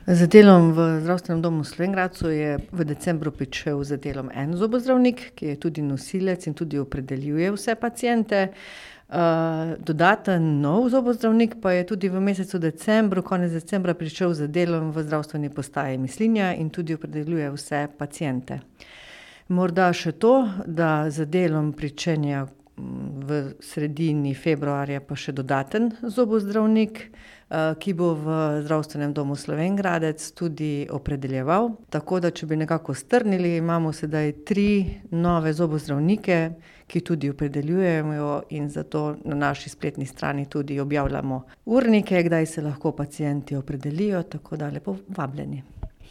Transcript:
Z delom v zdravstvenem domu v Slovenj Gradcu je v decembru pričel z delom en zobozdravnik, ki je tudi nosilec in tudi opredeljuje vse paciente. Dodaten nov zobozdravnik pa je tudi v mesecu decembru, konec decembra pričel z delom v zdravstveni postaji Mislinja in tudi opredeljuje vse paciente. Morda še to, da z delom pričenja v sredini februarja pa še dodaten zobozdravnik, ki bo v zdravstvenem domu Slovenj Gradec tudi opredeljeval. Tako da, če bi nekako strnili, imamo sedaj 3 nove zobozdravnike, ki tudi opredeljujejo, in zato na naši spletni strani tudi objavljamo urnike, kdaj se lahko pacienti opredelijo, tako da lepo vabljeni.